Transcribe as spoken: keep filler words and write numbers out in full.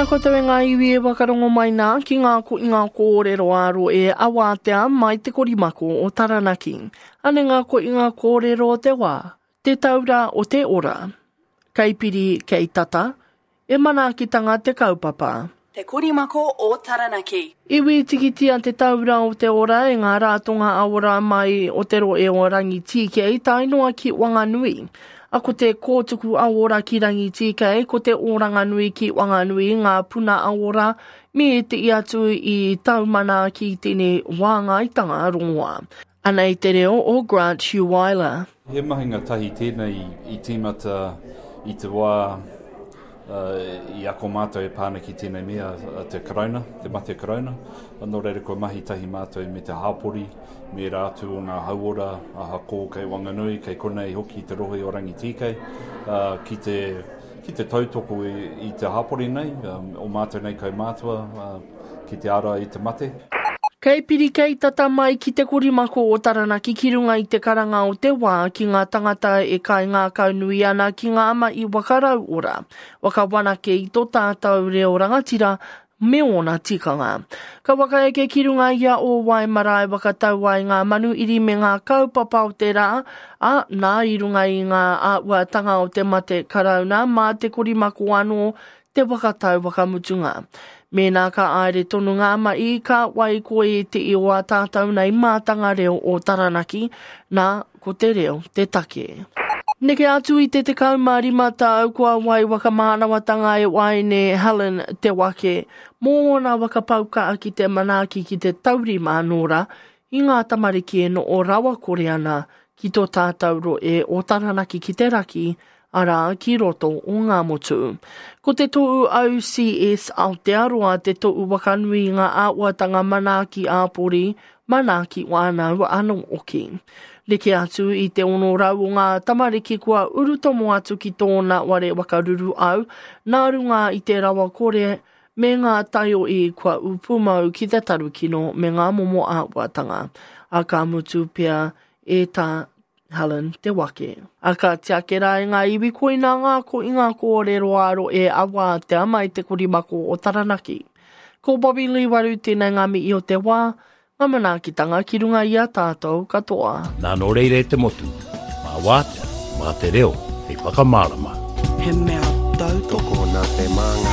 Tēnā koutou e ngā iwi e wakarongo mai nā ki ngā ko i ngā kōrero āro e awātea mai te korimako o Taranaki. Ane ngā ko i ngā kōrero o te wā, te taura o te ora. Kei piri, kei tata, e manaakitanga te kaupapa. Te Korimako o Taranaki. Iwi tikitia te taura o te ora e ngā rātonga aora mai o te roe o Rangitīkei tae noa ki Wanganui. A ko te kōtuku aora ki Rangitīkei, ko te Oranganui ki Wanganui ngā puna aora me te i atu i taumana ki tēnei wāngaitanga rongoa. Anei te reo o Grant Hugh-Weiler. He mahinga tahi tēnei i tīmata i te wā uh, i ako mātou e pāna ki tēnei mea te karauna, te mate karauna. Nō reira kua mahi tahi mātou me te hāpori, me rā atu o ngā hauora, aha kō kei Wanganui, kei konei hoki te rohe o Rangitīkei, uh, ki te, ki te tautoko i, i te hāpori nei, um, o mātou nei kaumātua, uh, ki te ara i te mate. Kei piri kei tata mai ki te korimako o Taranaki ki runga i te karanga o te wā ki ngā tangata e kai ngākau nui ana ki ngā mahi wakarau ora, whakawanake i tō tātou reo rangatira me ōna tikanga. Ka whakaeke ki runga ia o Waimarae whakatau ai ngā manuiri me ngā kaupapa o te rā, a, nā i runga i ngā āhuatanga o te mate karauna mā te korimako anō te whakatau whakamutunga. Mēnā ka aere tonu ngā mahi, ka wai koe te i o a tātou nei mātanga reo o Taranaki, nā, ko te reo te take. Neke atu i te tekau mā rima tau kua wai whakamānawatanga e waene Helen Te Wake mō ōna whakapauka ki te manaaki ki te taurima anō rā i ngā tamariki e noho rawakore ana ki tō tātou roe o Taranaki ki te raki, arā ki roto o Ngāmotu. Ko te tohu O C S Aotearoa te tohu wakanui i ngā āhuatanga manaaki āpori, manaaki whānau anō hoki. Neke atu i te ono rau o ngā tamariki kua urutomo atu ki tōna ware wakaruru au, nā runga i te rawakore me ngā taiohi kua upumau ki te tarukino me ngā momo āhuatanga. A ka mutu pea e tā Helen Te Wake. A ka tiake rā i ngā iwi koina ngā ko i ngā kōrero aro e awātea mai te korimako o Taranaki. Ko Bobby Lee Waru tēnei ngā mihi o te wā, ngā manaakitanga ki runga i a tātou katoa. Nā nō reira e te motu, mā wātea, mā te reo, hei whakamārama. He mea tautoko nā te māngai.